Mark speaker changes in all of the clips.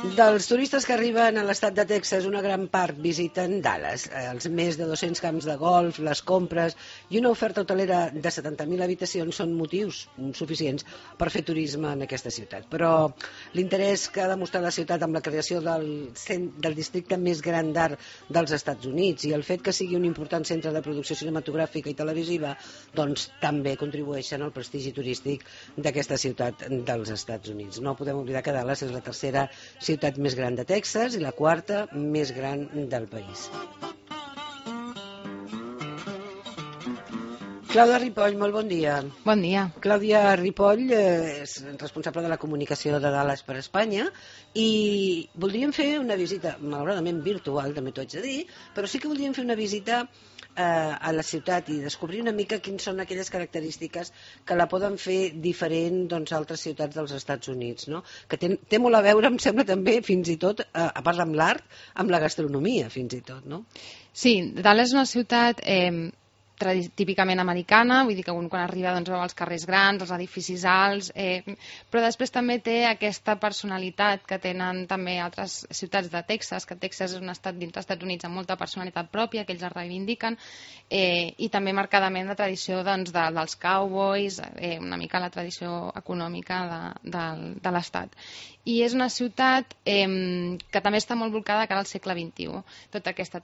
Speaker 1: Dels turistes que arriben a l'estat de Texas, una gran part visiten Dallas. Els més de 200 camps de golf, les compres i una oferta hotelera de 70.000 habitacions són motius suficients per fer turisme en aquesta ciutat. Però l'interès que ha demostrat la ciutat amb la creació del districte més gran d'art dels Estats Units i el fet que sigui un important centre de producció cinematogràfica i televisiva, doncs també contribueixen al prestigi turístic d'aquesta ciutat dels Estats Units. No podem oblidar que Dallas és la tercera ciutat més gran de Texas i la quarta més gran del país. Clàudia Ripoll, molt bon dia.
Speaker 2: Bon dia.
Speaker 1: Clàudia Ripoll és responsable de la comunicació de Dallas per Espanya i voldríem fer una visita, malauradament virtual, també t'ho haig de dir, però sí que voldríem fer una visita a la ciutat i descobrir una mica quines són aquelles característiques que la poden fer diferent a altres ciutats dels Estats Units, no? Que té molt a veure, em sembla també, fins i tot, a part amb l'art, amb la gastronomia, fins i tot, no?
Speaker 2: Sí, Dallas és una ciutat típicament americana, vull dir que quan arriba veu els carrers grans, els edificis alts, però després també té aquesta personalitat que tenen també altres ciutats de Texas, que Texas és un estat dins dels Estats Units amb molta personalitat pròpia, que ells la reivindiquen, i també marcadament la tradició dels cowboys, una mica la tradició econòmica de l'estat. I és una ciutat que també està molt volcada cara al segle XXI. Tot aquest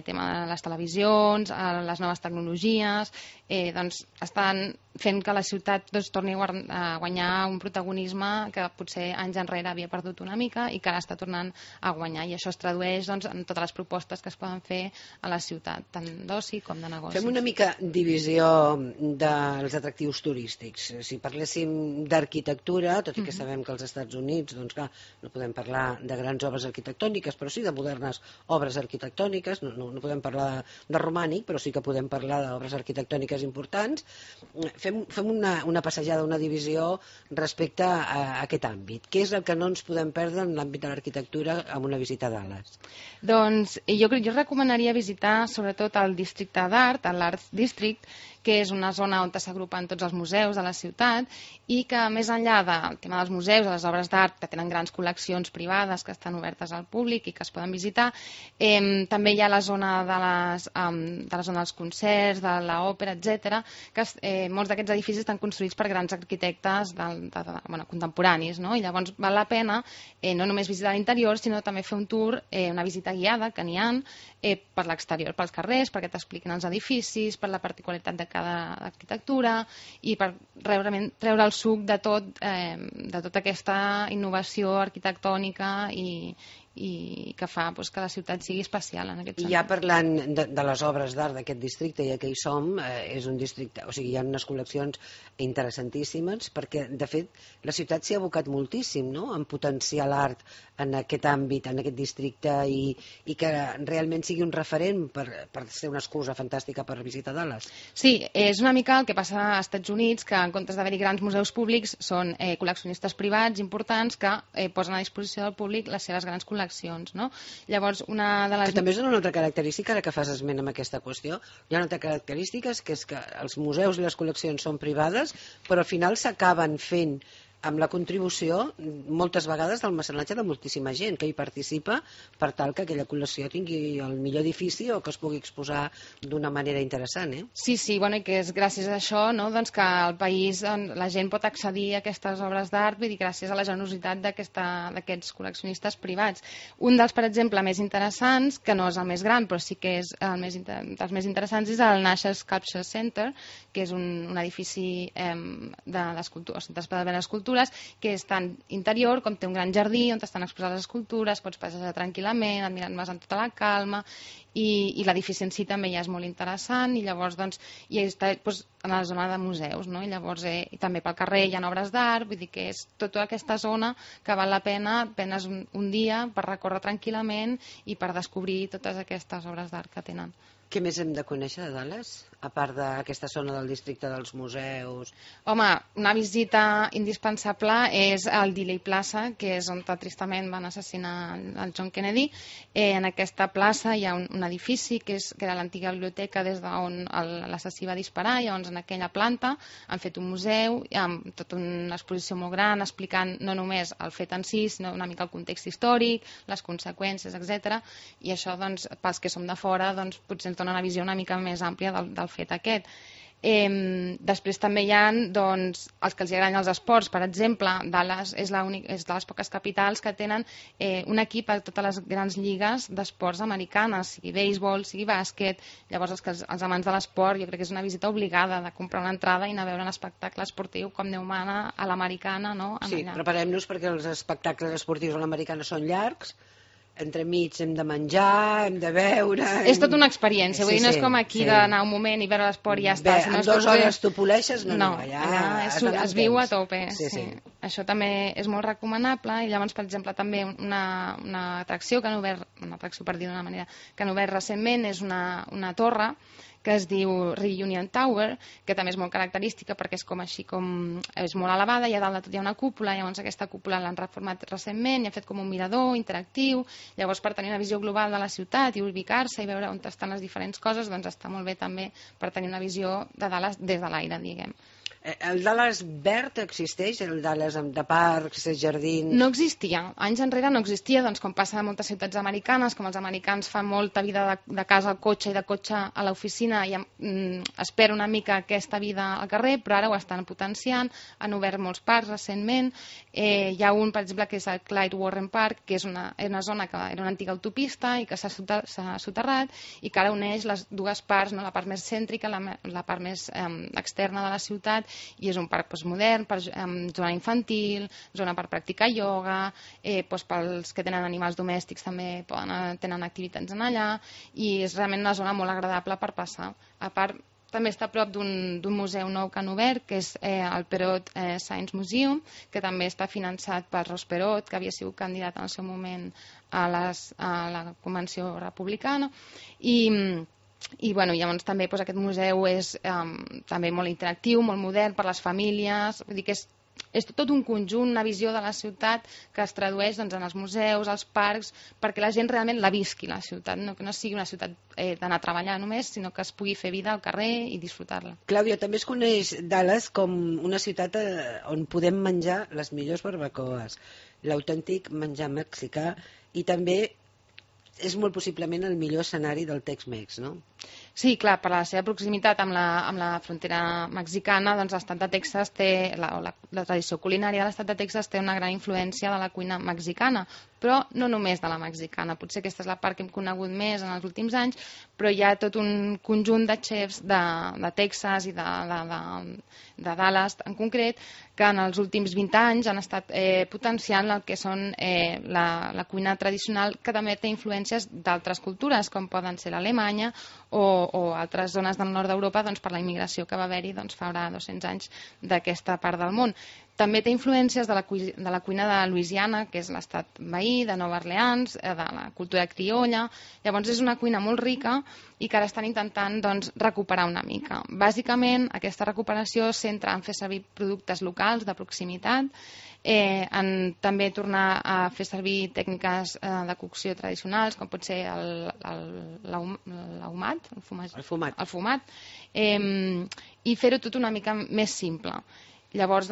Speaker 2: tema de les televisions, les noves tecnologies, estan fent que la ciutat torni a guanyar un protagonisme que potser anys enrere havia perdut una mica i que ara està tornant a guanyar. I això es tradueix en totes les propostes que es poden fer a la ciutat, tant d'oci com de negocis.
Speaker 1: Fem una mica divisió dels atractius turístics. Si parléssim d'arquitectura, tot i que sabem que als Estats Units clar, no podem parlar de grans obres arquitectòniques, però sí de modernes obres arquitectòniques, no podem parlar de romànic, però sí que podem parlar d'obres arquitectòniques importants. Fem una passejada, una divisió respecte a aquest àmbit. Què és el que no ens podem perdre en l'àmbit de l'arquitectura amb una visita a Dallas?
Speaker 2: Doncs jo recomanaria visitar sobretot el districte d'art, l'Art District, que és una zona on s'agrupen tots els museus de la ciutat i que més enllà del tema dels museus, de les obres d'art, que tenen grans col·leccions privades que estan obertes al públic i que es poden visitar, també hi ha la zona dels concerts, de l'òpera, etc., que molts d'aquests edificis estan construïts per grans arquitectes contemporanis, no? I llavors val la pena no només visitar l'interior, sinó també fer un tour, una visita guiada, que n'hi ha, per l'exterior, pels carrers, perquè t'expliquin els edificis, per la particularitat de cada arquitectura i per realment treure el suc de tota aquesta innovació arquitectònica i que fa que la ciutat sigui especial en aquest sentit.
Speaker 1: I ja parlant de les obres d'art d'aquest districte, ja que hi som, és un districte, o sigui, hi ha unes col·leccions interessantíssimes, perquè, de fet, la ciutat s'hi ha abocat moltíssim, no?, en potenciar l'art en aquest àmbit, en aquest districte, i que realment sigui un referent per ser una excusa fantàstica per visitar Dallas.
Speaker 2: Sí, és una mica el que passa als Estats Units, que en comptes d'haver-hi grans museus públics, són col·leccionistes privats importants que posen a disposició del públic les seves grans col·leccions. No? Llavors,
Speaker 1: que també és una altra característica, ara que fas esment amb aquesta qüestió, hi ha una altra característica, que és que els museus i les col·leccions són privades, però al final s'acaben fent amb la contribució moltes vegades del mecenatge de moltíssima gent que hi participa per tal que aquella col·lecció tingui el millor edifici o que es pugui exposar d'una manera interessant.
Speaker 2: Sí, i que és gràcies a això que al país la gent pot accedir a aquestes obres d'art, vull dir, gràcies a la generositat d'aquests col·leccionistes privats. Un dels, per exemple, més interessants, que no és el més gran, però sí que és dels més interessants, és el National Sculpture Center, que és un edifici de l'escultura, que és tant interior com té un gran jardí on estan exposades les escultures, pots passejar tranquil·lament, admirant-les amb tota la calma, i l'edifici en si també ja és molt interessant, i llavors hi està en la zona de museus, no? I llavors també pel carrer hi ha obres d'art, vull dir que és tota aquesta zona que val la pena penes un dia per recórrer tranquil·lament i per descobrir totes aquestes obres d'art que tenen.
Speaker 1: Què més hem de conèixer de Dallas? A part d'aquesta zona del districte dels museus...
Speaker 2: Home, una visita indispensable és el Dealey Plaza, que és on tristament van assassinar el John Kennedy. En aquesta plaça hi ha un edifici que era l'antiga biblioteca des d'on l'assassí va disparar. Llavors, en aquella planta han fet un museu amb tota una exposició molt gran explicant no només el fet en si, sinó una mica el context històric, les conseqüències, etc. I això, doncs, pels que som de fora, doncs, potser ens dona una visió una mica més àmplia del fet aquest. Després també hi ha, doncs, els que els agraden els esports. Per exemple, Dallas és de les poques capitals que tenen un equip a totes les grans lligues d'esports americanes, sigui béisbol, sigui bàsquet. Llavors, els amants de l'esport, jo crec que és una visita obligada de comprar una entrada i anar a veure un espectacle esportiu com Déu mana a l'americana, no?
Speaker 1: Sí, preparem-nos perquè els espectacles esportius a l'americana són llargs, entremig hem de menjar, hem de beure...
Speaker 2: És tota una experiència, vull dir, no és com aquí d'anar un moment i veure l'esport i ja està.
Speaker 1: En 2 hores tu poleixes? No,
Speaker 2: allà es viu a tope. Això també és molt recomanable i llavors, per exemple, també una atracció que han obert, una atracció per dir d'una manera, que han obert recentment és una torre que es diu Reunion Tower, que també és molt característica perquè és com així, és molt elevada i a dalt de tot hi ha una cúpula. Llavors aquesta cúpula l'han reformat recentment i ha fet com un mirador interactiu. Llavors, per tenir una visió global de la ciutat i ubicar-se i veure on estan les diferents coses, doncs està molt bé també per tenir una visió de Dallas des de l'aire, diguem.
Speaker 1: El Dallas verd existeix? El Dallas de parcs, jardins...
Speaker 2: No existia. Anys enrere no existia, doncs com passa a moltes ciutats americanes, com els americans fan molta vida de casa al cotxe i de cotxe a l'oficina i espera una mica aquesta vida al carrer, però ara ho estan potenciant, han obert molts parcs recentment. Hi ha un, per exemple, que és el Clyde Warren Park, que és una zona que era una antiga autopista i que s'ha soterrat i que ara uneix les dues parts, no? La part més cèntrica, la part més externa de la ciutat, i és un parc modern, zona infantil, zona per practicar ioga, pels que tenen animals domèstics també tenen activitats en allà, i és realment una zona molt agradable per passar. A part, també està a prop d'un museu nou que han obert, que és el Perot Science Museum, que també està finançat per Ross Perot, que havia sigut candidat en el seu moment a la Convenció Republicana, i llavors també aquest museu és també molt interactiu, molt modern per les famílies, vull dir que és tot un conjunt, una visió de la ciutat que es tradueix en els museus, als parcs, perquè la gent realment la visqui, la ciutat, que no sigui una ciutat d'anar a treballar només, sinó que es pugui fer vida al carrer i disfrutar-la.
Speaker 1: Clàudia, també es coneix Dallas com una ciutat on podem menjar les millors barbacoes, l'autèntic menjar mexicà, i també és molt possiblement el millor escenari del Tex-Mex, no?
Speaker 2: Sí, clar, per la seva proximitat amb la frontera mexicana, doncs l'estat de Texas té, la tradició culinària de l'estat de Texas té una gran influència de la cuina mexicana, però no només de la mexicana. Potser aquesta és la part que hem conegut més en els últims anys, però hi ha tot un conjunt de xefs de Texas i de Dallas en concret que en els últims 20 anys han estat potenciant el que són la cuina tradicional, que també té influències d'altres cultures, com poden ser l'Alemanya o altres zones del nord d'Europa, doncs, per la immigració que va haver-hi fa 200 anys d'aquesta part del món. També té influències de la cuina de Louisiana, que és l'estat veí, de Nova Orleans, de la cultura criolla. Llavors és una cuina molt rica i que ara estan intentant recuperar una mica. Bàsicament, aquesta recuperació es centra en fer servir productes locals de proximitat, en també tornar a fer servir tècniques de cocció tradicionals, com pot ser l'ahumat, el fumat, i fer-ho tot una mica més simple. Llavors,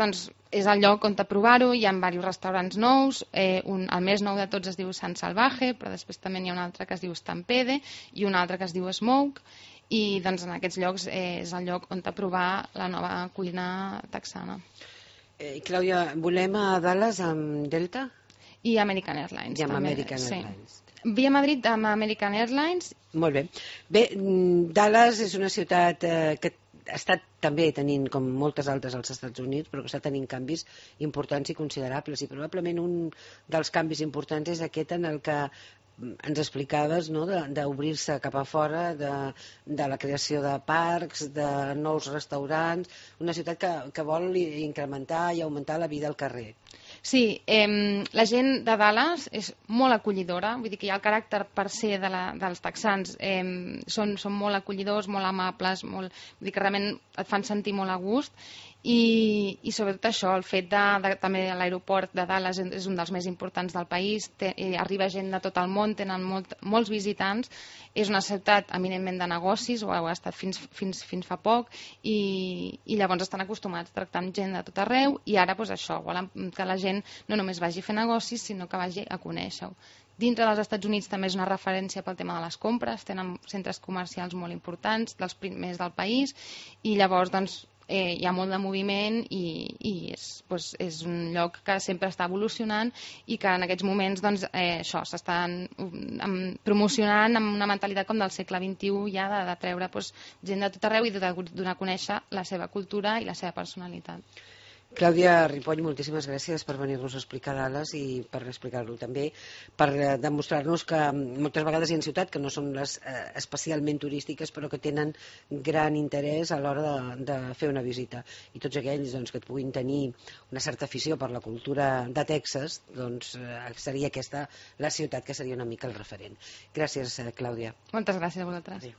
Speaker 2: és el lloc on provar-ho, hi ha diversos restaurants nous, el més nou de tots es diu San Salvaje, però després també hi ha un altre que es diu Stampede i un altre que es diu Smoke, i en aquests llocs és el lloc on provar la nova cuina texana.
Speaker 1: Clàudia, volem a Dallas amb Delta?
Speaker 2: I American Airlines.
Speaker 1: I amb American Airlines.
Speaker 2: Via Madrid amb American Airlines.
Speaker 1: Molt bé. Bé, Dallas és una ciutat que ha estat també tenint, com moltes altres als Estats Units, però que està tenint canvis importants i considerables, i probablement un dels canvis importants és aquest en el que ens explicaves, no? D'obrir-se cap a fora, de la creació de parcs, de nous restaurants, una ciutat que vol incrementar i augmentar la vida al carrer.
Speaker 2: Sí, la gent de Dallas és molt acollidora, vull dir que hi ha el caràcter per ser dels texans, són molt acollidors, molt amables, vull dir que realment et fan sentir molt a gust i sobretot això, el fet també l'aeroport de Dallas és un dels més importants del país, arriba gent de tot el món, tenen molts visitants, és una ciutat eminentment de negocis, ho ha estat fins fa poc, i llavors estan acostumats a tractar amb gent de tot arreu i ara doncs això, volen que la gent no només vagi a fer negocis, sinó que vagi a conèixer-ho. Dintre dels Estats Units també és una referència pel tema de les compres, tenen centres comercials molt importants, dels primers del país, i llavors doncs, hi ha molt de moviment i és un lloc que sempre està evolucionant i que en aquests moments doncs, això s'estan promocionant amb una mentalitat com del segle XXI ja de treure gent de tot arreu i de donar a conèixer la seva cultura i la seva personalitat.
Speaker 1: Clàudia Ripoll, moltíssimes gràcies per venir-nos a explicar Dallas i per explicar-lo també, per demostrar-nos que moltes vegades hi ha ciutats que no són les especialment turístiques però que tenen gran interès a l'hora de fer una visita, i tots aquells que et puguin tenir una certa afició per la cultura de Texas, doncs seria aquesta la ciutat que seria una mica el referent. Gràcies, Clàudia.
Speaker 2: Moltes gràcies a vosaltres.
Speaker 1: Adéu.